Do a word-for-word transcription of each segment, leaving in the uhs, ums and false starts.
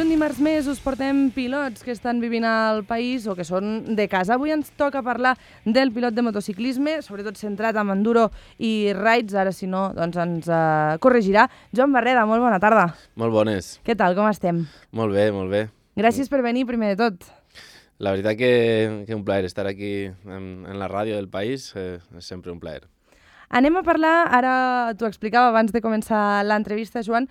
un dimarts més us portem pilots que estan vivint al país o que són de casa. Avui ens toca parlar del pilot de motociclisme, sobretot centrat en enduro i rides. Ara, si no, doncs ens uh, corregirà. Joan Barreda, molt bona tarda. Molt bones. Què tal, com estem? Molt bé, molt bé. Gràcies per venir, primer de tot. La veritat que, que un plaer estar aquí en, en la ràdio del país, eh, és sempre un plaer. Anem a parlar, ara t'ho explicava abans de començar l'entrevista, Joan,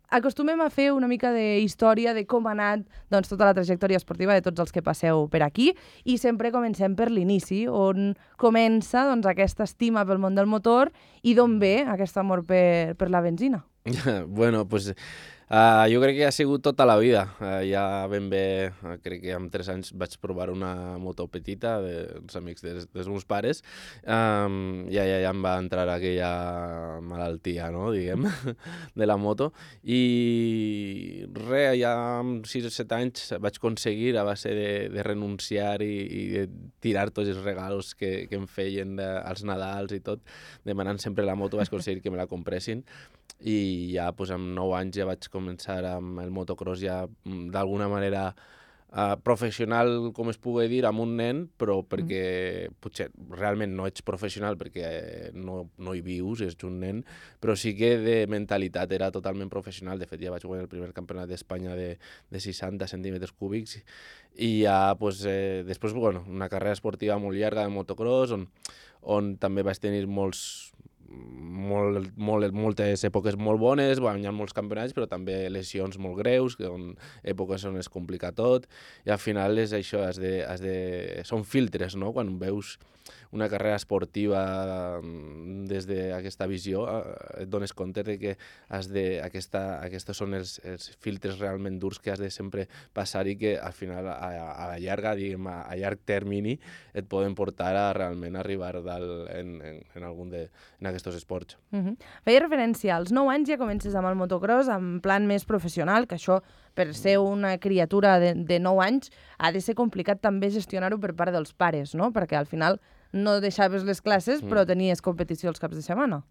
acostumem a fer una mica de història de com ha anat doncs, tota la trajectòria esportiva de tots els que passeu per aquí i sempre comencem per l'inici, on comença doncs, aquesta estima pel món del motor i d'on ve aquest amor per, per la benzina. Bueno, pues uh, jo crec que ha sigut tota la vida. Uh, ja ben bé, uh, crec que amb tres anys vaig provar una moto petita dels amics dels, dels meus pares. Um, ja, ja, ja em va entrar aquella malaltia, no?, diguem, de la moto. I res, ja amb sis o set anys vaig aconseguir, a base de, de renunciar i, i de tirar tots els regalos que, que em feien de, als Nadals i tot, demanant sempre la moto, vaig aconseguir que me la compressin. I ja pues, amb nou anys ja vaig començar amb el motocross ja d'alguna manera uh, professional, com es pugui dir, amb un nen, però perquè mm. potser realment no ets professional perquè no, no hi vius, ets un nen, però sí que de mentalitat era totalment professional. De fet, ja vaig guanyar el primer campionat d'Espanya de, de seixanta centímetres cúbics i ja pues, eh, després bueno, una carrera esportiva molt llarga de motocross on, on també vaig tenir molts Molt, molt, moltes èpoques molt bones, guanyant molts campionats, però també lesions molt greus, que on, èpoques on es complica tot, i al final és això, has de, has de, són filtres, no?, quan veus una carrera esportiva des d'aquesta visió, eh, et dones compte de que has de, aquesta, aquests són els, els filtres realment durs que has de sempre passar i que al final, a, a la llarga, diguem, a, a llarg termini, et poden portar a realment arribar dalt en, en, en algun de, en aquests esports. Uh-huh. Feia referència, als nou anys ja comences amb el motocross en plan més professional, que això, per ser una criatura de, de nou anys, ha de ser complicat també gestionar-ho per part dels pares, no? Perquè al final no deixaves les classes, però tenies competició els caps de setmana.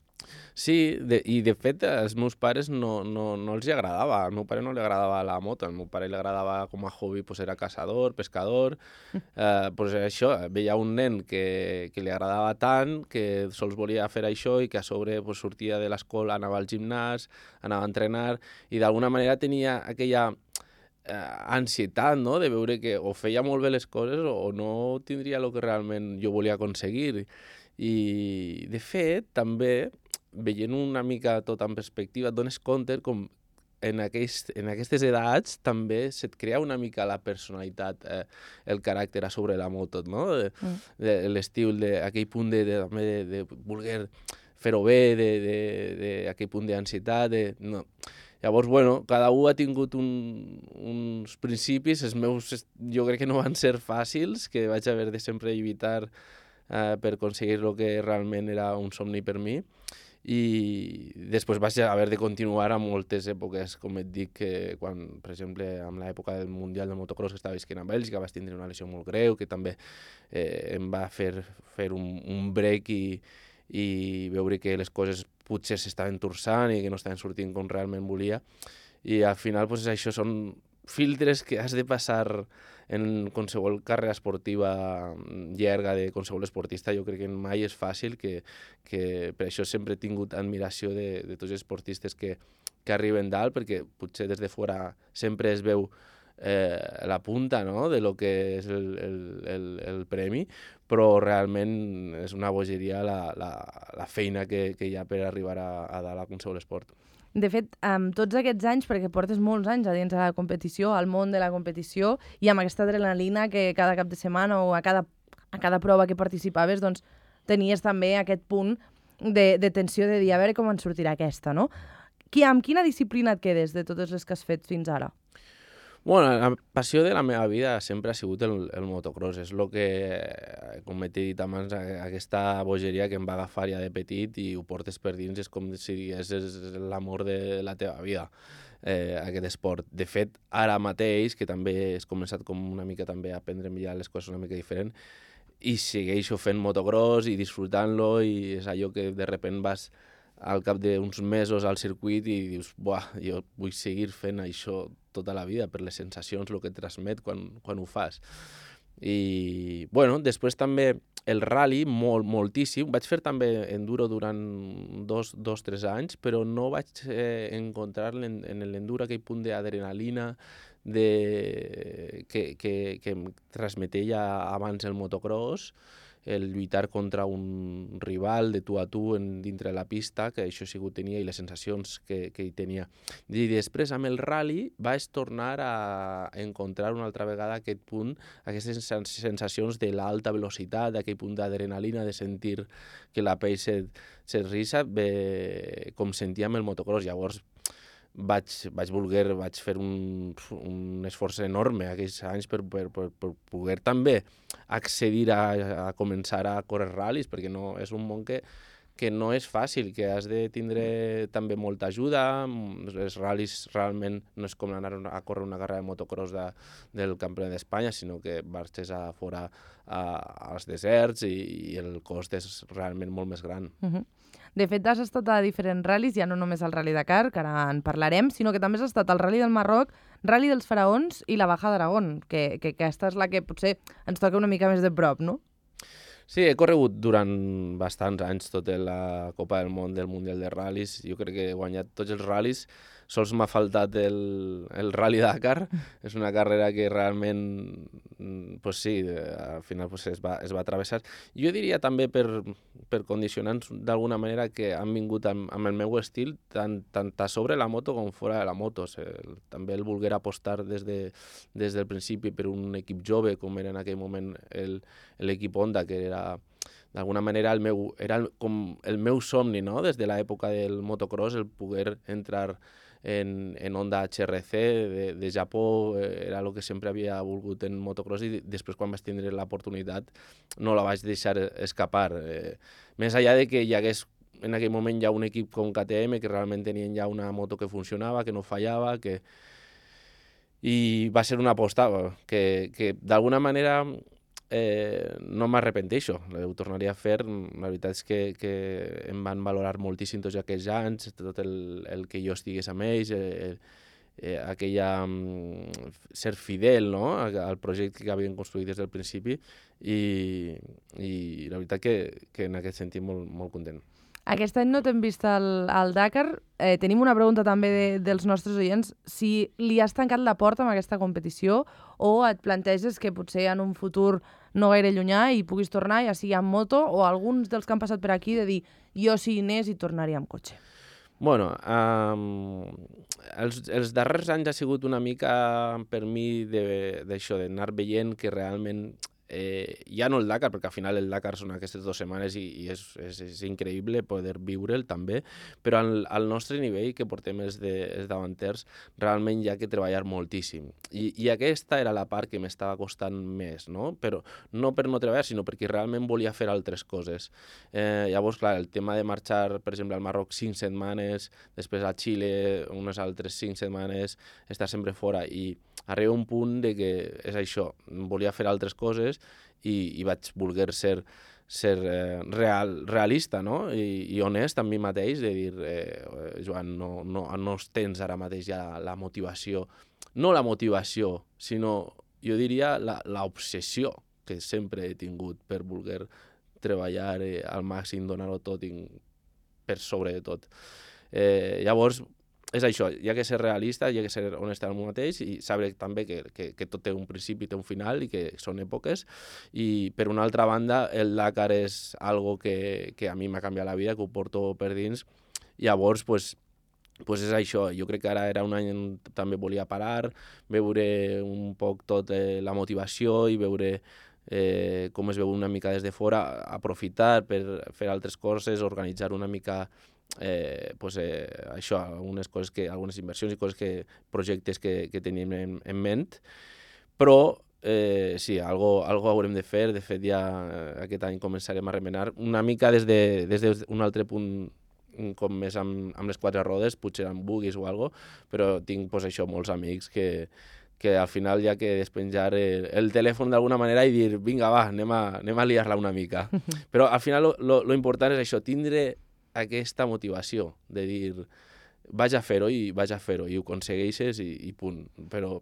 Sí, de, i de fet als meus pares no, no, no els agradava. Al meu pare no li agradava la moto, al meu pare li agradava com a hobby, pues era caçador, pescador, eh, pues això, veia un nen que, que li agradava tant, que sols volia fer això i que a sobre pues, sortia de l'escola, anava al gimnàs, anava a entrenar i d'alguna manera tenia aquella eh, ansietat, no?, de veure que o feia molt bé les coses o, o no tindria el que realment jo volia aconseguir. I, de fet, també, veient una mica tot en perspectiva, et dones compte com en, aquest, en aquestes edats també se't crea una mica la personalitat, eh, el caràcter a sobre la moto, no? De, mm. de, l'estil, de, aquell punt de, de, de, de voler fer-ho bé, d'aquell punt d'ansietat, de, no. Llavors, bueno, cada un ha tingut un, uns principis, els meus jo crec que no van ser fàcils, que vaig haver de sempre evitar eh, per aconseguir el que realment era un somni per mi. I després vaig haver de continuar a moltes èpoques, com et dic, que quan, per exemple, en l'època del Mundial de Motocross que estava visquent a Bèlgica vaig tindre una lesió molt greu, que també eh, em va fer, fer un, un break i, i veure que les coses potser s'estaven torçant i que no estaven sortint com realment volia. I al final, pues, això són filtres que has de passar en qualsevol carrera esportiva llarga de qualsevol esportista. Jo crec que mai és fàcil, que, que per això sempre he tingut admiració de, de tots els esportistes que, que arriben dalt, perquè potser des de fora sempre es veu eh, la punta, no?, de lo que és el, el, el, el premi, però realment és una bogeria la, la, la feina que, que hi ha per arribar a, a dalt a qualsevol esport. De fet, amb tots aquests anys, perquè portes molts anys a dins de la competició, al món de la competició, i amb aquesta adrenalina que cada cap de setmana o a cada, a cada prova que participaves, doncs tenies també aquest punt de, de tensió de dir a veure com en sortirà aquesta, no? Qui, amb quina disciplina et quedes de totes les que has fet fins ara? Bueno, la passió de la meva vida sempre ha sigut el, el motocross. És el que, com he dit abans, aquesta bogeria que em va agafar ja de petit i ho portes per dins, és com si digués l'amor de la teva vida, eh, aquest esport. De fet, ara mateix, que també he començat com una mica també a aprendre'm ja les coses una mica diferent, i segueixo fent motocross i disfrutant-lo, i és allò que de repent vas al cap d'uns mesos al circuit i dius, buah, jo vull seguir fent això tota la vida per les sensacions, el que et transmet quan, quan ho fas. I, bueno, després també el rally, molt, moltíssim. Vaig fer també enduro durant dos, dos tres anys, però no vaig eh, encontrar en, en l'enduro aquell punt d'adrenalina de, que, que, que em transmetia abans el motocross, el lluitar contra un rival de tu a tu en, dintre la pista, que això sí que ho tenia, i les sensacions que, que hi tenia. I després, amb el rally, vaig tornar a encontrar una altra vegada aquest punt, aquestes sensacions de l'alta velocitat, d'aquell punt d'adrenalina, de sentir que la pell se't, se't risa, bé, com sentia amb el motocross. Llavors, vaig, vaig voler, vaig fer un, un esforç enorme aquells anys per, per, per, per poder també accedir a, a començar a córrer ral·lis, perquè no, és un món que, que no és fàcil, que has de tindre també molta ajuda. Els ral·lis realment no és com anar a córrer una carrera de motocross de, del Campionat d'Espanya, sinó que marxes a fora a, als deserts i, i el cost és realment molt més gran. Uh-huh. De fet, has estat a diferents ral·lis, ja no només el Rally Dakar, que ara en parlarem, sinó que també has estat al Rally del Marroc, Rally dels Faraons i la Baja d'Aragón, que, que aquesta és la que potser ens toca una mica més de prop, no? Sí, he corregut durant bastants anys tota la Copa del Món del Mundial de Ral·lis. Jo crec que he guanyat tots els ral·lis. Sols m'ha faltat el, el Rally Dakar. És una carrera que realment, pues sí, al final pues es, va, es va travessar. Jo diria també per, per condicionants d'alguna manera que han vingut amb, amb el meu estil tant, tant a sobre la moto com fora de la moto. O sigui, també el volguer apostar des, de, des del principi per un equip jove, com era en aquell moment el, l'equip Honda, que era d'alguna manera el meu, era el, com el meu somni, no? Des de l'època del motocross, el poder entrar en, en Honda H R C de, de Japó, eh, era el que sempre havia volgut en motocross, i després quan vaig tindre l'oportunitat no la vaig deixar escapar. Eh, més enllà de que hi hagués en aquell moment ja un equip com K T M que realment tenien ja una moto que funcionava, que no fallava, que... i va ser una aposta que, que d'alguna manera eh, no m'arrepenteixo, ho tornaria a fer. La veritat és que, que em van valorar moltíssim tots aquells anys, tot el, el que jo estigués amb ells, eh, eh, aquella um, ser fidel, no?, al projecte que havien construït des del principi, i, i la veritat que, que en aquest sentit molt, molt content. Aquest any no t'hem vist al, al Dakar. Eh, tenim una pregunta també de, dels nostres oients. Si li has tancat la porta amb aquesta competició o et planteges que potser en un futur no gaire llunyà hi puguis tornar, ja sigui amb moto, o alguns dels que han passat per aquí de dir jo si hi anés hi tornaria amb cotxe? Bueno, um, els, els darrers anys ha sigut una mica per mi d'això, d'anar veient que realment Eh, ja no el Dakar, perquè al final el Dakar són aquestes dues setmanes i, i és, és, és increïble poder viure'l també, però al, al nostre nivell que portem els, de, els davanters realment hi ha que treballar moltíssim, i, i aquesta era la part que m'estava costant més, no? Però no per no treballar, sinó perquè realment volia fer altres coses. Eh, llavors, clar, el tema de marxar, per exemple, al Marroc cinc setmanes, després a Xile unes altres cinc setmanes, estar sempre fora, i arriba un punt de que és això, volia fer altres coses i, i vaig voler ser, ser eh, real, realista, no? I, i honest amb mi mateix, de dir, eh, Joan, no, no, no tens ara mateix ja la motivació, no la motivació, sinó, jo diria, l'obsessió que sempre he tingut per voler treballar eh, al màxim, donar-ho tot i, per sobre de tot. Eh, llavors, és això, hi ha que ser realista, hi ha que ser honest amb el mateix i saber també que, que, que tot té un principi, té un final i que són èpoques. I per una altra banda, el Dakar és algo que, que a mi m'ha canviat la vida, que ho porto per dins. Llavors, pues, pues és això. Jo crec que ara era un any on també volia parar, veure un poc tot eh, la motivació i veure eh, com es veu una mica des de fora, aprofitar per fer altres coses, organitzar una mica Eh, pues, eh, això, algunes coses que, algunes inversions i coses que, projectes que, que tenim en, en ment, però eh, sí, algo, algo haurem de fer. De fet, ja eh, aquest any començarem a remenar una mica des d'un de, des d'un altre punt, com més amb, amb les quatre rodes, potser amb buggies o algo, però tinc pues, això, molts amics que, que al final hi ha que despenjar el, el telèfon d'alguna manera i dir, vinga, va, anem a, anem a liar-la una mica. Però al final lo, lo, lo important és això, tindre aquesta motivació de dir vaig a fer-ho i vaig a fer-ho i ho aconsegueixes i, i punt. Però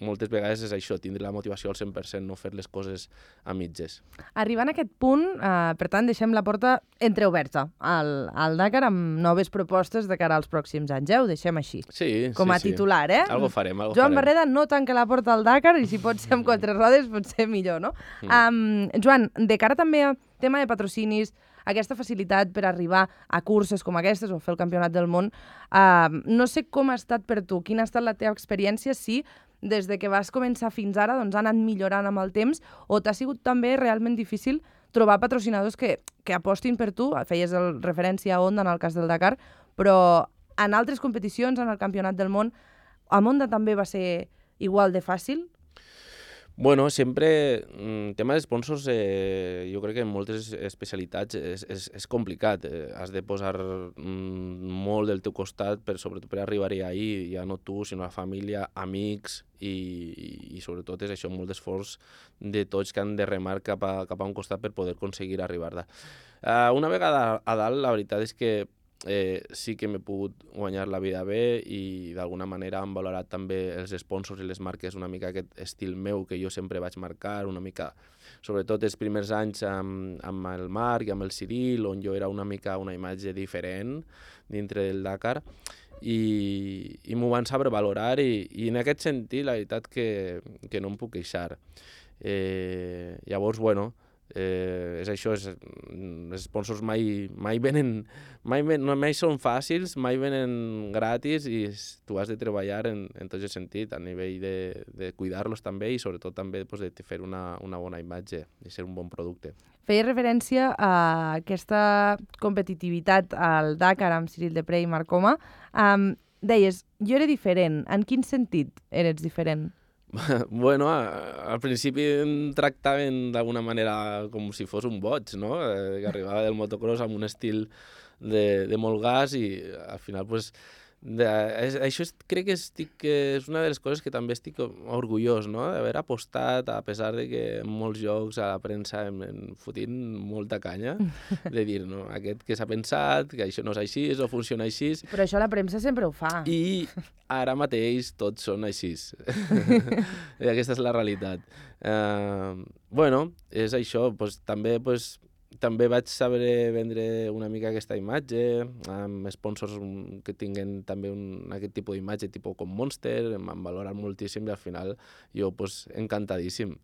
moltes vegades és això, tindre la motivació al cent per cent, no fer les coses a mitges. Arribant a aquest punt, eh, per tant, deixem la porta entreoberta al, al Dakar amb noves propostes de cara als pròxims anys, eh? Ho deixem així. Sí, com a sí, titular, eh? Algo farem, algo Joan farem. Barreda no tanca la porta al Dakar i si pot ser amb quatre rodes pot ser millor, no? Mm. Um, Joan, de cara també a tema de patrocinis, aquesta facilitat per arribar a curses com aquestes o fer el campionat del món, uh, no sé com ha estat per tu, quina ha estat la teva experiència, si des de que vas començar fins ara doncs, ha anat millorant amb el temps o t'ha sigut també realment difícil trobar patrocinadors que, que apostin per tu, feies el, referència a Honda en el cas del Dakar, però en altres competicions, en el campionat del món, a Honda també va ser igual de fàcil? Bueno, sempre, el tema de sponsors, eh, jo crec que en moltes especialitats és, és, és complicat. Eh, has de posar mm, molt del teu costat, per, sobretot per arribar-hi ahir, ja no tu, sinó la família, amics, i, i, i sobretot és això, molt d'esforç de tots que han de remar cap a, cap a un costat per poder aconseguir arribar-hi. Uh, una vegada a dalt, la veritat és que Eh, sí que m'he pogut guanyar la vida bé i d'alguna manera han valorat també els sponsors i les marques una mica aquest estil meu que jo sempre vaig marcar, una mica, sobretot els primers anys amb, amb el Marc i amb el Ciril, on jo era una mica una imatge diferent dintre del Dakar i, i m'ho van saber valorar i, i en aquest sentit la veritat que, que no em puc queixar. Eh, llavors, bueno, Eh, és això, és, els sponsors mai, mai venen, mai, ven, no, mai són fàcils, mai venen gratis i tu has de treballar en, en tot el sentit, a nivell de, de cuidar-los també i sobretot també pues, de fer una, una bona imatge i ser un bon producte. Feia referència a aquesta competitivitat al Dakar amb Cyril Depré i Marc Coma. Um, deies, jo era diferent. En quin sentit eres diferent? Bueno, al principi em tractaven d'alguna manera com si fos un boig, no? Eh, que arribava del motocross amb un estil de, de molt gas i al final, pues, de, és, això és, crec que estic, és una de les coses que també estic orgullós, no? D'haver apostat, a pesar de que en molts llocs a la premsa em, em fotin molta canya, de dir, no, aquest que s'ha pensat, que això no és així, o funciona així. Però això la premsa sempre ho fa. I ara mateix tots són així. I aquesta és la realitat. Uh, bueno, és això, pues, també, pues, també vaig saber vendre una mica aquesta imatge, amb sponsors que tinguen també un, aquest tipus d'imatge, tipus com Monster, em van valorar moltíssim i al final jo, pues, encantadíssim.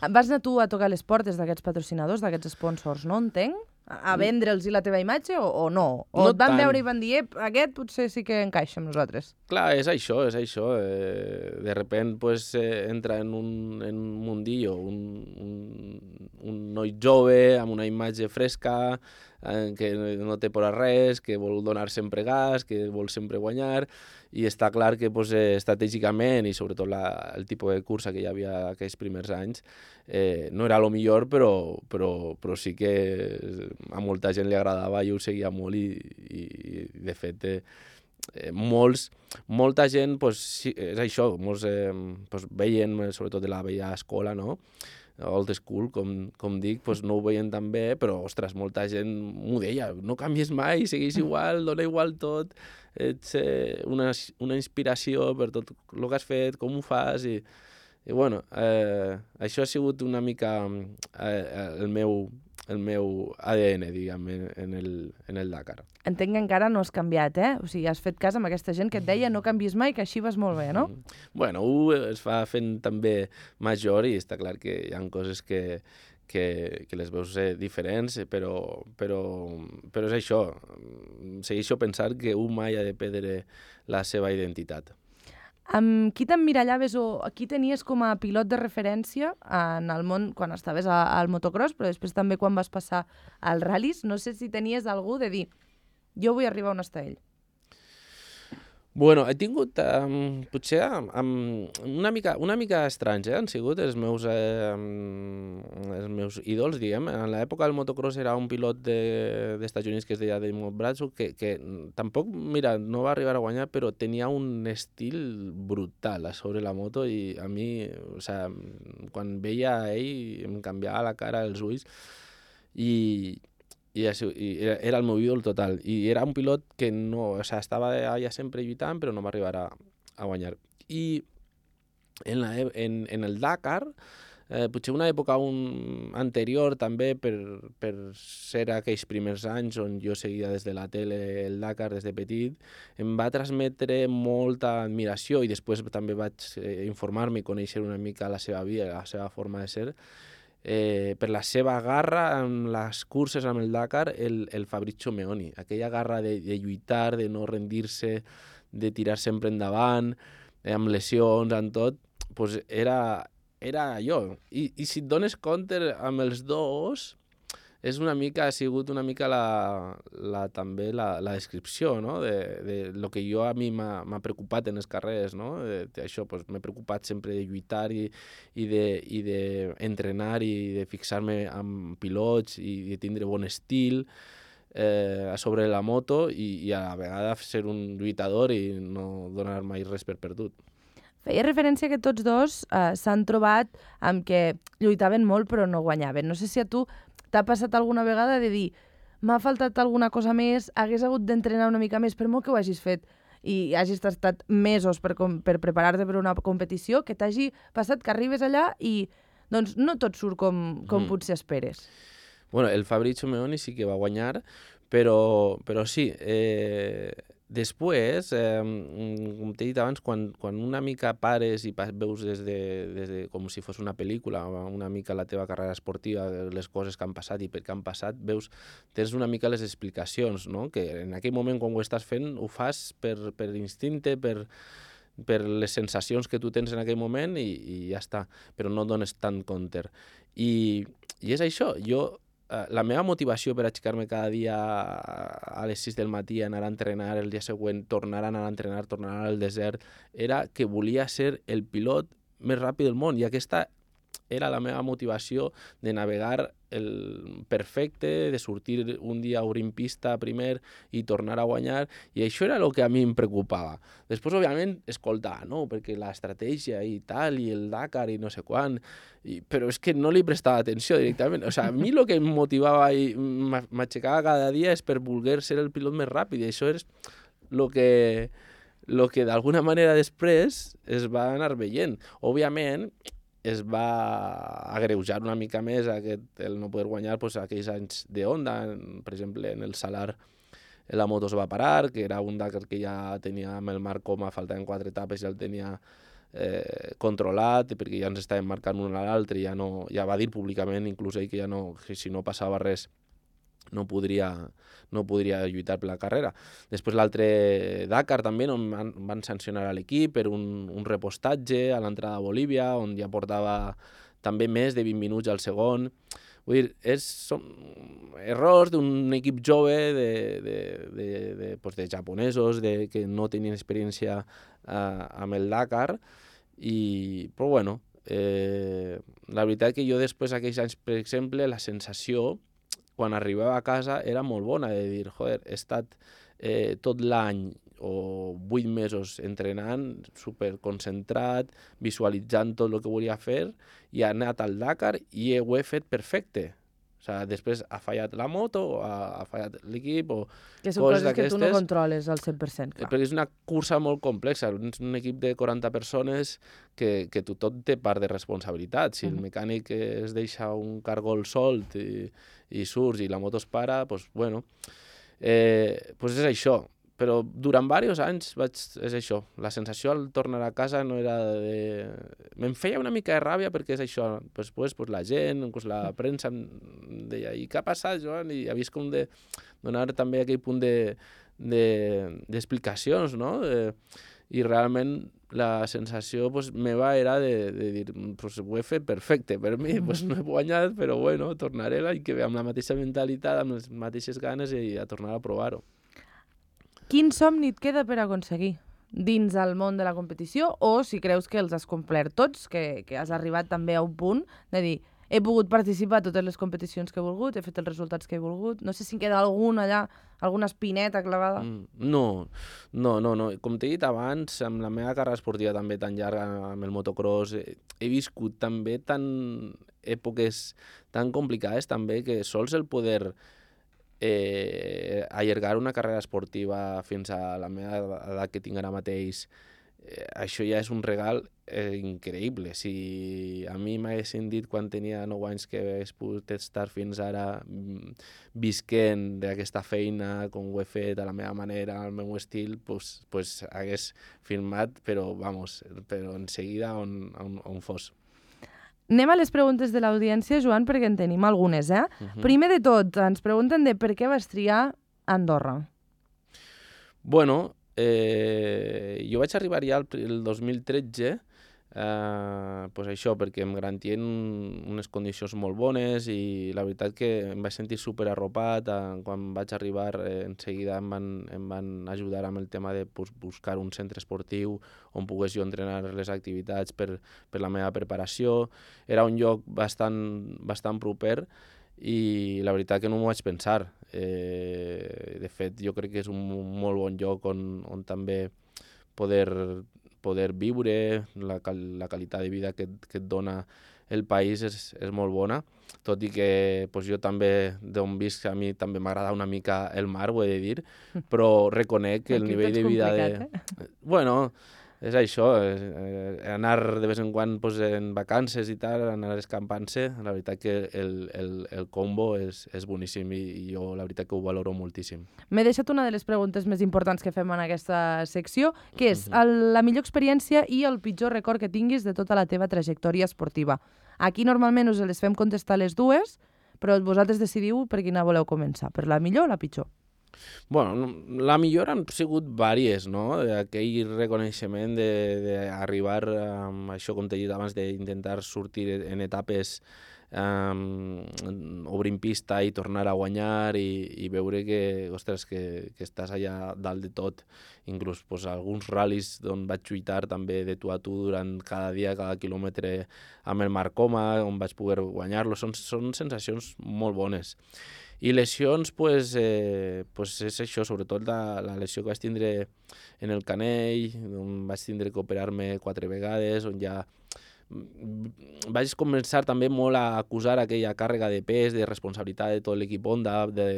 Vas anar tu a tocar les portes d'aquests patrocinadors, d'aquests sponsors, no entenc? A vendre'ls la teva imatge o, o no? O no et van tant. veure i van dir, aquest potser sí que encaixa amb nosaltres? Clar, és això, és això. Eh, de repent pues, eh, entra en un, en un mundillo, un, un, un noi jove amb una imatge fresca, eh, que no té por a res, que vol donar sempre gas, que vol sempre guanyar, i està clar que pues, eh, estratègicament i sobretot la, el tipus de cursa que hi havia aquells primers anys eh, no era el millor, però, però, però sí que a molta gent li agradava, jo ho seguia molt i, i, i de fet eh, eh, molts, molta gent pues, sí, és això, molts eh, pues, veien, sobretot de la vella escola, no? Old school, com, com dic, pues no ho veien tan bé, però, ostres, molta gent m'ho deia, no canvies mai, segueix igual, dona igual tot, ets eh, una, una inspiració per tot el que has fet, com ho fas, i, i bueno, eh, això ha sigut una mica eh, el meu el meu A D N, diguem, en, en, el, en el Dakar. Entenc que encara no has canviat, eh? O sigui, has fet cas amb aquesta gent que et deia no canvis mai, que així vas molt bé, no? Mm. Bueno, un es fa fent també major i està clar que hi ha coses que, que, que les veus eh, diferents, però, però, però és això. Segueixo pensant que un mai ha de perdre la seva identitat. Amb qui t'emmirallaves o qui tenies com a pilot de referència en el món quan estaves a, al motocross, però després també quan vas passar als ral·lis? No sé si tenies algú de dir, jo vull arribar on està ell. Bueno, he tingut, um, potser um, una, mica, una mica estranys, eh? Han sigut els meus, eh, um, els meus ídols, diguem. En l'època del motocross era un pilot de, d'Estats Units que es deia Damon Bradshaw, que, que tampoc, mira, no va arribar a guanyar, però tenia un estil brutal a sobre la moto i a mi, o sea, quan veia a ell em canviava la cara, els ulls i... i, i era el meu ídol total. I era un pilot que no, o sigui, estava allà sempre lluitant, però no va arribar a, a guanyar. I en, la, en, en el Dakar, eh, potser una època un, anterior també, per, per ser aquells primers anys on jo seguia des de la tele el Dakar des de petit, em va transmetre molta admiració i després també vaig eh, informar-me i conèixer una mica la seva vida, la seva forma de ser, eh, per la seva garra en les curses amb el Dakar, el, el Fabrizio Meoni, aquella garra de, de lluitar, de no rendir-se, de tirar sempre endavant, eh, amb lesions, amb tot, pues era, era allò. I, I si et dones compte amb els dos, és una mica, ha sigut una mica la, la, també la, la descripció, no? de, de lo que jo a mi m'ha preocupat en els carrers, no? De, de això, pues, m'he preocupat sempre de lluitar i, i d'entrenar i de fixar-me amb pilots i de tindre bon estil eh, sobre la moto i, i a la vegada ser un lluitador i no donar mai res per perdut. Feia referència que tots dos eh, s'han trobat amb que lluitaven molt però no guanyaven. No sé si a tu t'ha passat alguna vegada de dir m'ha faltat alguna cosa més, hagués hagut d'entrenar una mica més, per molt que ho hagis fet i hagis estat mesos per, per preparar-te per una competició, que t'hagi passat que arribes allà i doncs no tot surt com, com mm. potser esperes. Bueno, el Fabrizio Meoni sí que va guanyar, però, però sí, eh, després, eh, com t'he dit abans, quan, quan una mica pares i veus des de, des de, com si fos una pel·lícula, una mica la teva carrera esportiva, les coses que han passat i per què han passat, veus, tens una mica les explicacions, no? Que en aquell moment quan ho estàs fent ho fas per, per instinte, per, per les sensacions que tu tens en aquell moment i, i ja està, però no dones tant compte. I, i és això, jo... La meva motivació per aixecar-me cada dia a les sis del matí, anar a entrenar el dia següent, tornar a anar a entrenar, tornar al desert, era que volia ser el pilot més ràpid del món i aquesta era la meva motivació de navegar el perfecte, de sortir un dia a obrir pista primer i tornar a guanyar, i això era el que a mi em preocupava. Després, òbviament, escoltar, no? Perquè l'estratègia i tal, i el Dakar i no sé quan, i, però és que no li prestava atenció directament. O sigui, a mi el que em motivava i m'aixecava cada dia és per voler ser el pilot més ràpid, i això és el que, lo que d'alguna manera després es va anar veient. Òbviament, es va agreujar una mica més aquest, el no poder guanyar pues, aquells anys de Honda. Per exemple, en el Salar la moto es va parar, que era un Dakar que ja tenia amb el Marc Coma, faltaven quatre etapes, ja el tenia eh, controlat, perquè ja ens estàvem marcant un a l'altre, ja, no, ja va dir públicament, inclús ell, que ja no, que si no passava res no podria, no podria lluitar per la carrera. Després l'altre Dakar també no, van, van sancionar a l'equip per un, un repostatge a l'entrada a Bolívia, on ja portava també més de vint minuts al segon. Vull dir, és, són errors d'un equip jove de, de, de, de, pues de japonesos de, que no tenien experiència uh, amb el Dakar, i, però bueno, eh, la veritat que jo després d'aquells anys, per exemple, la sensació quan arribava a casa era molt bona, de dir, joder, he estat eh, tot l'any o vuit mesos entrenant, superconcentrat, visualitzant tot el que volia fer, i he anat al Dakar i ho he fet perfecte. O sigui, després ha fallat la moto, o ha, ha fallat l'equip, o que són coses, coses que tu no controles al cent per cent. Clar. Perquè és una cursa molt complexa, és un equip de quaranta persones que, que tothom té part de responsabilitat. Si el mecànic es deixa un cargol solt i, i surts i la moto es para, doncs, bueno, eh, doncs és això. Però durant diversos anys vaig, és això, la sensació al tornar a casa no era de... Me'n feia una mica de ràbia perquè és això, després pues, la gent, pues, la premsa em deia, i què ha passat, Joan? I havies com de donar també aquell punt d'explicacions, de, de, no? De, I realment la sensació pues, meva era de, de dir, pues, ho he fet perfecte per mi, pues, no he guanyat, però bueno, tornaré l'any que ve amb la mateixa mentalitat, amb les mateixes ganes i a tornar a provar-ho. Quin somni et queda per aconseguir dins el món de la competició, o si creus que els has complert tots, que, que has arribat també a un punt de dir, he pogut participar a totes les competicions que he volgut, he fet els resultats que he volgut, no sé si en queda algun allà, alguna espineta clavada? Mm, no, no, no, no. Com t'he dit abans, amb la meva carrera esportiva també tan llarga amb el motocross, he, he viscut també tan èpoques tan complicades també que sols el poder eh, allargar una carrera esportiva fins a la meva edat que tinc ara mateix, eh, això ja és un regal eh, increïble. Si a mi m'haguessin dit quan tenia nou anys que hagués pogut estar fins ara mm, visquent d'aquesta feina, com ho he fet, a la meva manera, al meu estil, pues, pues hagués firmat, però, vamos, però en seguida on, on, on fos. Anem a les preguntes de l'audiència, Joan, perquè en tenim algunes, eh? Uh -huh. Primer de tot, ens pregunten de per què vas triar Andorra. Bueno, eh, jo vaig arribar ja el, el dos mil tretze, eh, pues això, perquè em garantien unes condicions molt bones i la veritat que em vaig sentir super arropat. Eh, quan vaig arribar, eh, en seguida em van, em van ajudar amb el tema de pues, buscar un centre esportiu on pogués jo entrenar les activitats per, per la meva preparació. Era un lloc bastant, bastant proper i la veritat que no m'ho vaig pensar. Eh, de fet, jo crec que és un molt bon lloc on, on també poder, poder viure, la, la qualitat de vida que, que et dona el país és, és molt bona, tot i que pues, jo també, d'on visc, a mi també m'agrada una mica el mar, ho he de dir, però reconec que el Aquí nivell de vida de... eh? Bueno, és això, eh, anar de vez en quan pues, en vacances i tal, anar escampant-se, la veritat que el, el, el combo és, és boníssim i, i jo la veritat que ho valoro moltíssim. M'he deixat una de les preguntes més importants que fem en aquesta secció, que és el, la millor experiència i el pitjor record que tinguis de tota la teva trajectòria esportiva. Aquí normalment us les fem contestar les dues, però vosaltres decidiu per quina voleu començar, per la millor o la pitjor? Bueno, la millor han sigut vàries, no? Aquell reconeixement d'arribar amb això, com t'he dit abans, d'intentar sortir en etapes um, obrint pista i tornar a guanyar i, i veure que, ostres, que, que estàs allà dalt de tot. Inclús pues, alguns ral·lis on vaig lluitar també de tu a tu durant cada dia, cada quilòmetre amb el Marc Coma, on vaig poder guanyar-lo. Són, són sensacions molt bones. I lesions, pues, eh, pues és això, sobretot la, la lesió que vaig tindre en el canell, on vaig tindre que operar-me quatre vegades, on ja vaig començar també molt a acusar aquella càrrega de pes, de responsabilitat de tot l'equip Honda, de,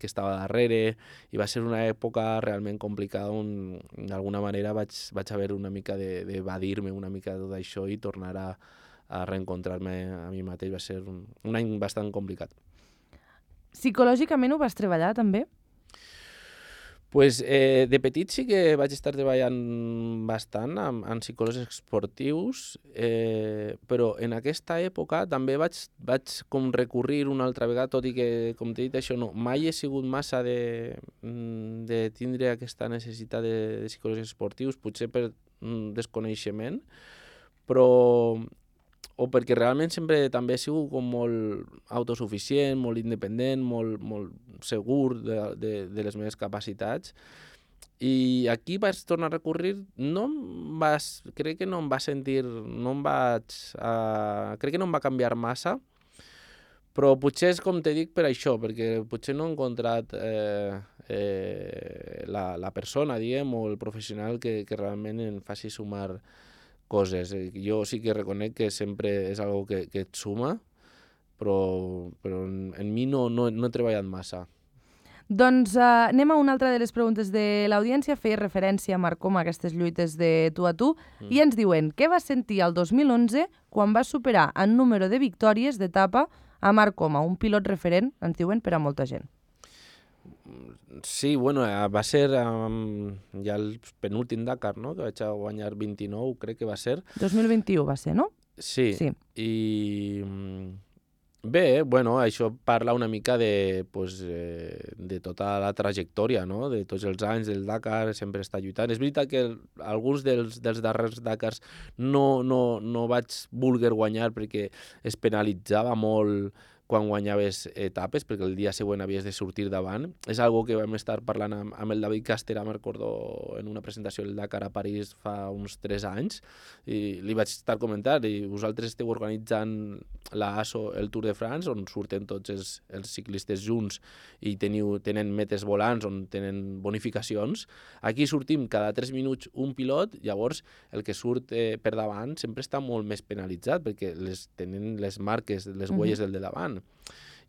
que estava darrere, i va ser una època realment complicada on d'alguna manera vaig, vaig haver una mica d'evadir-me una mica de tot això i tornar a, a reencontrar-me a mi mateix. Va ser un, un any bastant complicat. Psicològicament ho vas treballar, també? Pues, eh, de petit sí que vaig estar treballant bastant amb, amb psicòlegs esportius, eh, però en aquesta època també vaig, vaig com recurrir una altra vegada, tot i que, com t'he dit, això no, mai he sigut massa de, de tindre aquesta necessitat de, de psicòlegs esportius, potser per mm, desconeixement, però... o perquè realment sempre també he sigut com molt autosuficient, molt independent, molt, molt segur de, de, de les meves capacitats. I aquí vaig tornar a recurrir, no em vas, crec que no em va sentir, no em vaig, uh, crec que no em va canviar massa, però potser és com te dic per això, perquè potser no he encontrat eh, eh, la, la persona, diguem, o el professional que, que realment em faci sumar coses. Jo sí que reconec que sempre és algo que, que et suma, però, però en, en mi no, no, no he treballat massa. Doncs uh, anem a una altra de les preguntes de l'audiència. Feia referència a Marc Coma, aquestes lluites de tu a tu, mm. i ens diuen què vas sentir el dos mil onze quan vas superar en número de victòries d'etapa a Marc Coma, un pilot referent, ens diuen, per a molta gent. Sí, bueno, va ser um, ja el penúltim Dakar, no?, que vaig guanyar vint-i-nou, crec que va ser. dos mil vint-i-u va ser, no? Sí, sí. I bé, bueno, això parla una mica de, pues, eh, de tota la trajectòria, no?, de tots els anys del Dakar, sempre està lluitant. És veritat que alguns dels, dels darrers Dakars no, no, no vaig voler guanyar perquè es penalitzava molt quan guanyaves etapes, perquè el dia següent havies de sortir davant. És algo que vam estar parlant amb, amb el David Castera, me'n recordo, en una presentació del Dakar a París fa uns tres anys, i li vaig estar comentant, i vosaltres esteu organitzant la A S O, el Tour de France, on surten tots els, els ciclistes junts i teniu, tenen metes volants, on tenen bonificacions. Aquí sortim cada tres minuts un pilot, llavors el que surt eh, per davant sempre està molt més penalitzat, perquè les, tenen les marques, les huelles uh-huh. del de davant.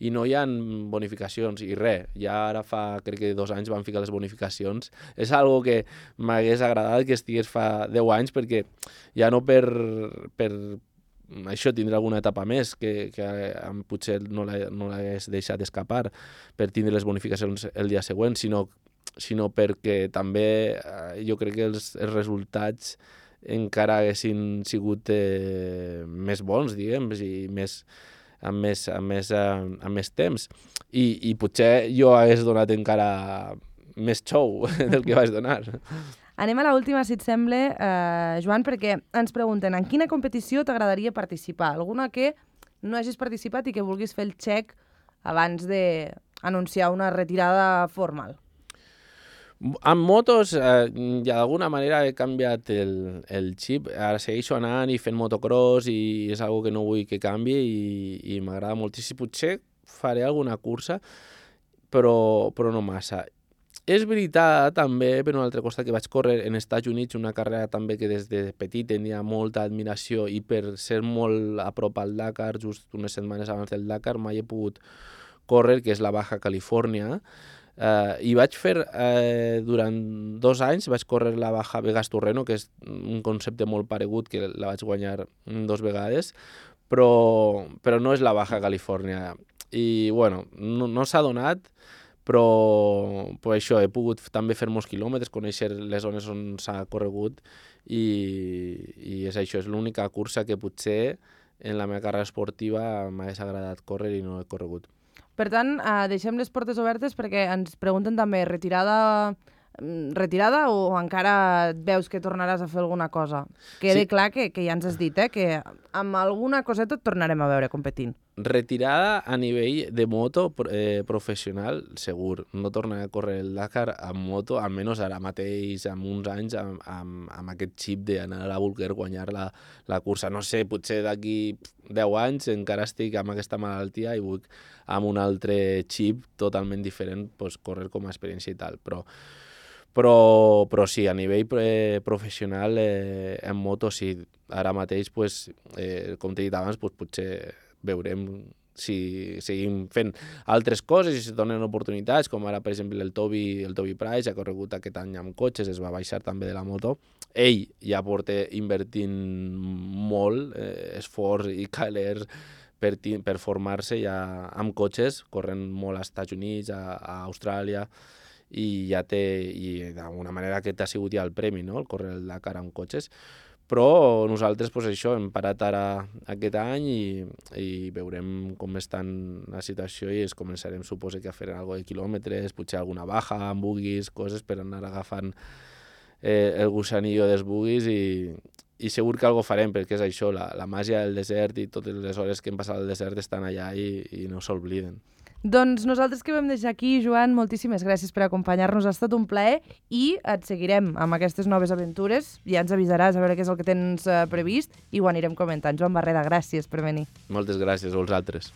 i no hi ha bonificacions, i res, ja ara fa, crec que dos anys van ficar les bonificacions. És algo que m'hagués agradat que estigués fa deu anys, perquè ja no per, per això tindre alguna etapa més, que, que potser no l'hagués deixat escapar per tindre les bonificacions el dia següent, sinó, sinó perquè també eh, jo crec que els, els resultats encara haguessin sigut eh, més bons, diguem, i més, amb, més, amb, més, amb més temps. I, I potser jo hagués donat encara més show del que vaig donar. Anem a l'última, si et sembla, eh, Joan, perquè ens pregunten en quina competició t'agradaria participar? Alguna que no hagis participat i que vulguis fer el check abans d'anunciar una retirada formal? Amb motos, eh, ja d'alguna manera he canviat el, el xip. Ara segueixo anant i fent motocross i és algo que no vull que canvi i, i m'agrada moltíssim. Potser faré alguna cursa, però, però no massa. És veritat també, per un altre costat, que vaig córrer en Estats Units una carrera també que des de petit tenia molta admiració i per ser molt a prop al Dakar, just unes setmanes abans del Dakar, mai he pogut córrer, que és la Baja Califòrnia. Uh, I vaig fer, uh, durant dos anys, vaig córrer la Baja Vegas-Torreno, que és un concepte molt paregut, que la vaig guanyar dos vegades, però, però no és la Baja Califòrnia. I, bueno, no, no s'ha donat, però, però això, he pogut també fer molts quilòmetres, conèixer les zones on s'ha corregut, i, i és això, és l'única cursa que potser en la meva carrera esportiva m'hagués agradat córrer i no he corregut. Per tant, eh, deixem les portes obertes perquè ens pregunten també retirada, retirada o encara et veus que tornaràs a fer alguna cosa? Quede sí. Clar que, que ja ens has dit, eh, que amb alguna coseta et tornarem a veure competint. Retirada a nivell de moto eh, professional, segur. No tornaré a córrer el Dakar amb moto, almenys ara mateix, amb uns anys, amb, amb, amb aquest xip d'anar a la Vulguer, guanyar la, la cursa. No sé, potser d'aquí deu anys encara estic amb aquesta malaltia i vull amb un altre xip totalment diferent pues, córrer com a experiència i tal. Però, però, però sí, a nivell eh, professional eh, en moto sí. Ara mateix, pues, eh, com t'he dit abans, pues, potser veurem si seguim fent altres coses i si donen oportunitats, com ara, per exemple, el Toby, el Toby Price ha corregut aquest any amb cotxes, es va baixar també de la moto. Ell ja porta invertint molt eh, esforç i calers per, per formar-se ja amb cotxes, corrent molt als Estats Units, a, a Austràlia, i ja té, i d'alguna manera aquest ha sigut ja el premi, no?, el córrer el Dakar amb cotxes. Però nosaltres, pues, això, hem parat ara aquest any i, i veurem com està la situació i es començarem, suposo, que a fer alguna de quilòmetres, potser alguna baja amb buguis, coses per anar agafant eh, el gusanillo dels buguis i, i segur que algo farem, perquè és això, la, la màgia del desert i totes les hores que hem passat al desert estan allà i, i no s'obliden. Doncs nosaltres que vam deixar aquí, Joan, moltíssimes gràcies per acompanyar-nos, ha estat un plaer i et seguirem amb aquestes noves aventures, ja ens avisaràs a veure què és el que tens uh, previst i ho anirem comentant. Joan Barreda, gràcies per venir. Moltes gràcies a vosaltres.